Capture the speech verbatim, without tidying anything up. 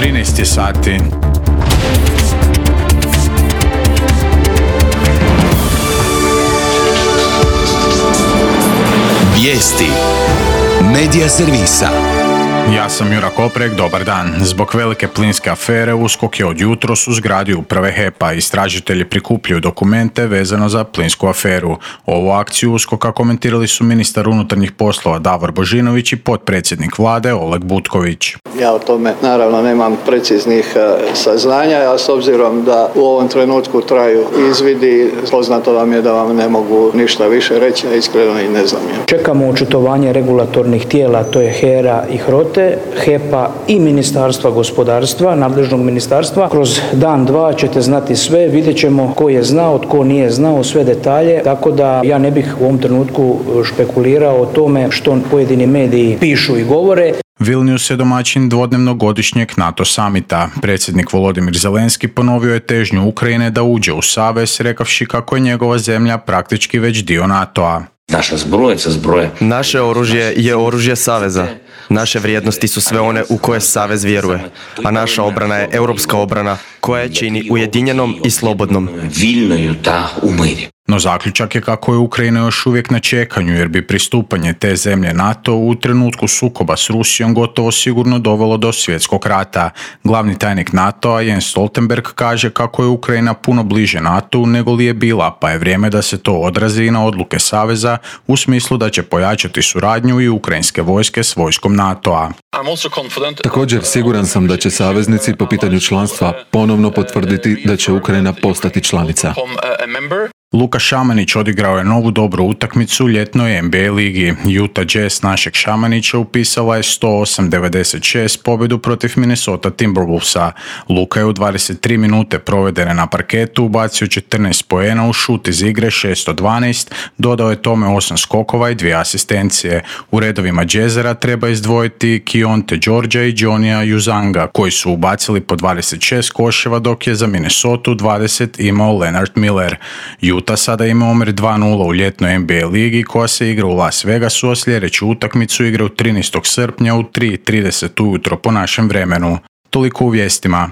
trinaest je sati. Vijesti Medija servisa. Ja sam Jura Koprek, dobar dan. Zbog velike plinske afere USKOK je od jutros u zgradi uprave H E P-a. Istražitelji prikupljaju dokumente vezano za plinsku aferu. Ovu akciju USKOK-a komentirali su ministar unutarnjih poslova Davor Božinović i potpredsjednik vlade Oleg Butković. Ja o tome naravno nemam preciznih saznanja, a s obzirom da u ovom trenutku traju izvidi, poznato vam je da vam ne mogu ništa više reći, a iskreno i ne znam. Čekamo očitovanje regulatornih tijela, to je HERA i HROTE, H E P-a i Ministarstva gospodarstva, nadležnog ministarstva. Kroz dan, dva ćete znati sve, vidjet ćemo ko je znao, tko nije znao, sve detalje, tako da ja ne bih u ovom trenutku špekulirao o tome što pojedini mediji pišu i govore. Vilnius je domaćin dvodnevnog godišnjeg NATO samita. Predsjednik Volodimir Zelenski ponovio je težnju Ukrajine da uđe u savez, rekavši kako je njegova zemlja praktički već dio NATO-a. Naša zbroja je zbroja. Naše oružje je oružje saveza. Naše vrijednosti su sve one u koje savez vjeruje, a naša obrana je europska obrana koja je čini ujedinjenom i slobodnom. Вільною та у мирі. No zaključak je kako je Ukrajina još uvijek na čekanju, jer bi pristupanje te zemlje NATO u trenutku sukoba s Rusijom gotovo sigurno dovelo do svjetskog rata. Glavni tajnik NATO-a Jens Stoltenberg kaže kako je Ukrajina puno bliže NATO-u nego li je bila, pa je vrijeme da se to odrazi i na odluke saveza u smislu da će pojačati suradnju i ukrajinske vojske s vojskom NATO-a. Također siguran sam da će saveznici po pitanju članstva ponovno potvrditi da će Ukrajina postati članica. Luka Šamanić odigrao je novu dobru utakmicu u ljetnoj N B A ligi. Utah Jazz našeg Šamanića upisala je sto osam devedeset šest pobjedu protiv Minnesota Timberwolvesa. Luka je u dvadeset tri minute provedene na parketu ubacio četrnaest poena u šut iz igre šest od dvanaest, dodao je tome osam skokova i dvije asistencije. U redovima Jazzera treba izdvojiti Kionte Georgia i Johnnya Uzanga, koji su ubacili po dvadeset šest koševa, dok je za Minnesota dvadeset imao Leonard Miller. Utah sada ima omjer dva nula u ljetnoj N B A ligi koja se igra u Las Vegasu, a sljedeću utakmicu igra u trinaestog srpnja u tri i trideset ujutro po našem vremenu. Toliko u vijestima.